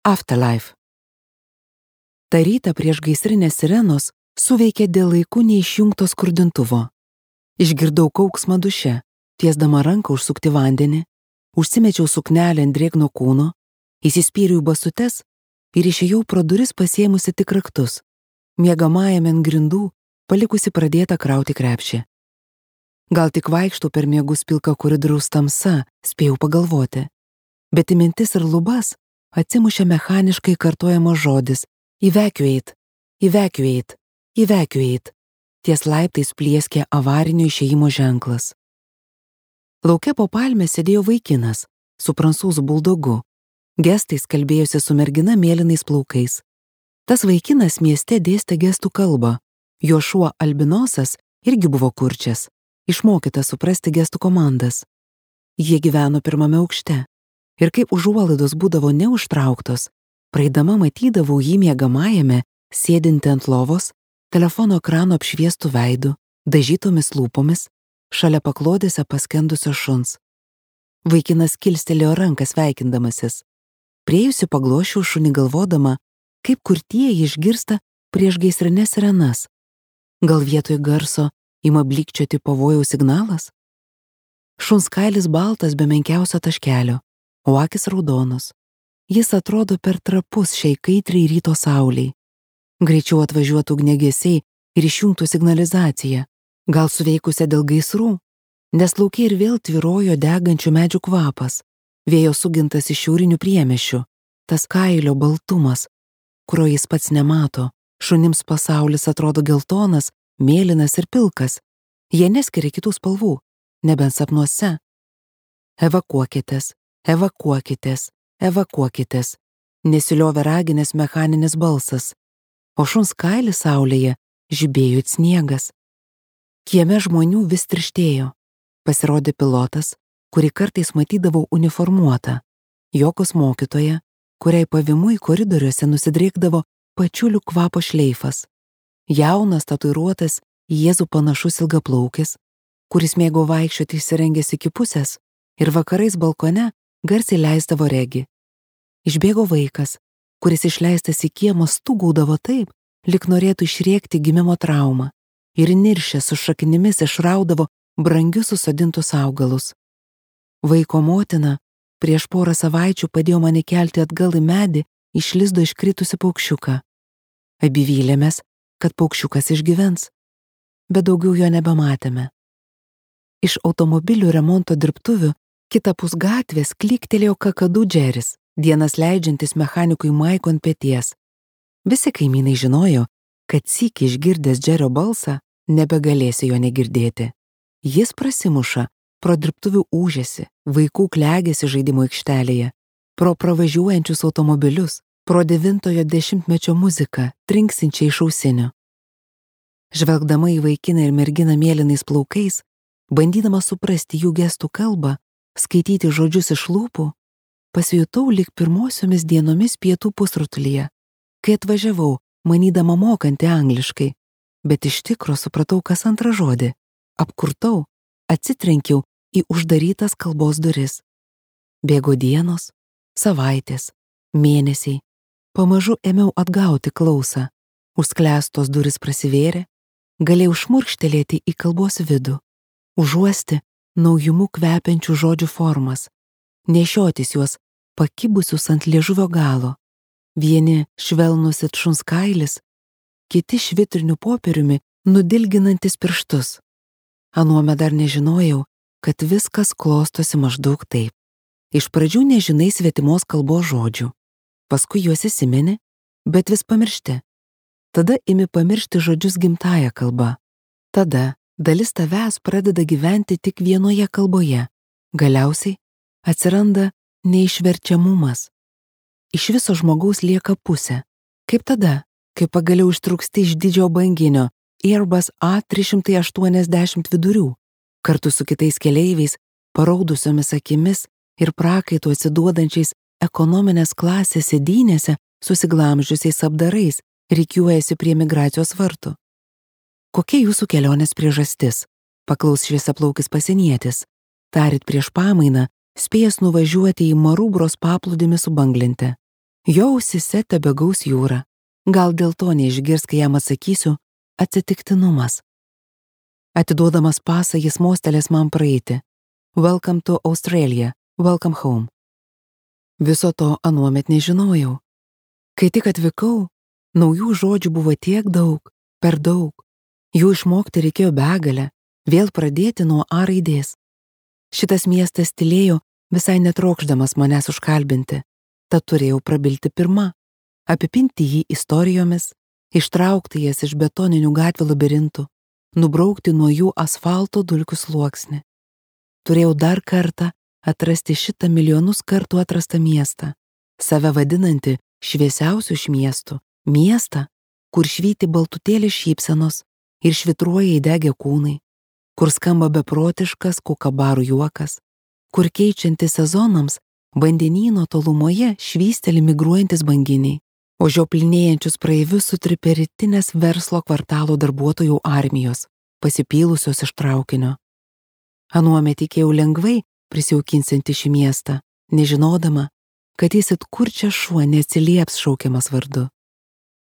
Afterlife. Ta rytą prieš gaisrinės sirenos suveikė dėl laikų neišjungto skurdintuvo. Išgirdau kauksmą duše, tiesdama ranką užsukti vandenį, užsimečiau suknelę ant drėgno kūno, įsispyriau į basutes ir išėjau pro duris pasiėmusi tik raktus, miegamajame ant grindų, palikusi pradėtą krauti krepšį. Gal tik vaikštau per miegus pilką koridoriaus tamsa, spėjau pagalvoti, bet į mintis ir lubas atsimušė mechaniškai kartojamas žodis evacuate, evacuate, evacuate. Ties laiptais plieskė avarinio išėjimo ženklas. Lauke po palme sėdėjo vaikinas su prancūzų buldogu. Gestais kalbėjosi su mergina mėlynais plaukais. Tas vaikinas mieste dėstė gestų kalbą. Jo šuo albinosas irgi buvo kurčias, išmokytas suprasti gestų komandas. Jie gyveno pirmame aukšte. Ir kaip užuolaidos būdavo neužtrauktos, praeidama matydavau jį miegamajame, sėdinti ant lovos, telefono ekrano apšviestų veidų, dažytomis lūpomis, šalia paklodėse paskendusio šuns. Vaikinas kilstelėjo ranką sveikindamasis. Priejusi paglošiau šunį galvodama, kaip kurtieji išgirsta prieš gaisrinės sirenas. Gal vietoj garso ima blykčioti pavojaus signalas? Šuns kailis baltas be menkiausio taškelio, o akis raudonos. Jis atrodo per trapus šiai kaitriai ryto sauliai. Greičiau atvažiuotų ugniagesiai ir išjungtų signalizaciją, gal suveikusią dėl gaisrų, nes lauke ir vėl tvyrojo degančių medžių kvapas, vėjo sugintas iš šiaurinių priemiesčių, tas kailio baltumas, kurio jis pats nemato, šunims pasaulis atrodo geltonas, mėlynas ir pilkas, jie neskiria kitų spalvų, nebent sapnuose. Evakuokitės, evakuokitės, evakuokitės, nesiliovė raginės mechaninis balsas, o šuns kailis saulėje žibėjo it sniegas. Kieme žmonių vis tirštėjo. Pasirodė pilotas, kurį kartais matydavau uniformuotą, Jokos mokytoja, kuriai pavimui koridoriuose nusidriekdavo pačiulių kvapo šleifas. Jaunas, tatuiruotas, į Jėzų panašus ilgaplaukis, kuris mėgo vaikščioti įsirengęs iki pusės ir vakarais balkone garsiai leisdavo regi. Išbėgo vaikas, kuris išleistas į kiemą stūgaudavo taip, lyg norėtų išrėkti gimimo traumą, ir niršęs su šaknimis išraudavo brangius susodintus augalus. Vaiko motina prieš porą savaičių padėjo mane kelti atgal į medį iš lizdo iškritusi paukščiuką. Abi vylėmės, kad paukščiukas išgyvens, bet daugiau jo nebematėme. Iš automobilių remonto dirbtuvių kitapus gatvės klyktelėjo kakadu Džeris, dienas leidžiantis mechanikui Maiko ant peties. Visi kaimynai žinojo, kad sykį išgirdęs Džerio balsą nebegalėsi jo negirdėti. Jis prasimuša pro dirbtuvių ūžesį, vaikų klegėsi žaidimo aikštelėje, pro pravažiuojančius automobilius, pro 90-ojo dešimtmečio muziką, trinksinčią iš ausinių. Žvelgdama į vaikiną ir merginą mėlynais plaukais, bandydama suprasti jų gestų kalbą, skaityti žodžius iš lūpų, pasijutau lyg pirmosiomis dienomis pietų pusrutulyje, kai atvažiavau, manydama mokanti angliškai, bet iš tikro supratau kas antrą žodį, apkurtau, atsitrenkiau į uždarytas kalbos duris. Bėgo dienos, savaitės, mėnesiai, pamažu ėmiau atgauti klausą, užsklęstos duris prasivėrė, galėjau šmurkštelėti į kalbos vidų, užuosti naujumu kvepiančių žodžių formas, nešiotis juos pakibusius ant liežuvio galo, vieni švelnus it šuns kailis, kiti švitriniu popieriumi nudilginantis pirštus. Anuomet dar nežinojau, kad viskas klostosi maždaug taip. Iš pradžių nežinai svetimos kalbos žodžių, paskui juos įsimeni, bet vis pamiršti. Tada imi pamiršti žodžius gimtąja kalba. Tada dalis tavęs pradeda gyventi tik vienoje kalboje. Galiausiai atsiranda neišverčiamumas. Iš viso žmogaus lieka pusė. Kaip tada, kai pagaliau ištrūksti iš didžio banginio Airbus A380 vidurių, kartu su kitais keleiviais, paraudusiomis akimis ir prakaitu atsiduodančiais ekonominės klasės sėdynėse susiglamžiusiais apdarais, rikiuojasi prie migracijos vartų. Kokia jūsų kelionės priežastis? Paklaus šviesiaplaukis pasienietis. Tarit prieš pamainą, spėjęs nuvažiuoti į Marubros paplūdimį su banglente. Jo ausise tebegaus jūra. Gal dėl to neišgirs, kai jam atsakysiu atsitiktinumas. Atiduodamas pasą jis mostelės man praeiti. Welcome to Australia, welcome home. Viso to anuomet nežinojau. Kai tik atvykau, naujų žodžių buvo tiek daug, per daug. Jų išmokti reikėjo begalę, vėl pradėti nuo A raidės. Šitas miestas tylėjo, visai netrokšdamas manęs užkalbinti, tad turėjau prabilti pirma, apipinti jį istorijomis, ištraukti jas iš betoninių gatvių labirintų, nubraukti nuo jų asfalto dulkių sluoksnį. Turėjau dar kartą atrasti šitą milijonus kartų atrastą miestą, save vadinantį šviesiausių iš miestų, miestą, kur švyti baltutėlės šypsenos ir švitruoja įdegę kūnai, kur skamba beprotiškas kukabarų juokas, kur keičiantis sezonams vandenyno tolumoje švysteli migruojantis banginiai, o žioplinėjančius praeivius sutripė rytinės verslo kvartalo darbuotojų armijos, pasipylusios iš traukinio. Anuomet tikėjau lengvai prisijaukinsianti šį miestą, nežinodama, kad jis it kurčias šuo neatsilieps šaukiamas vardu.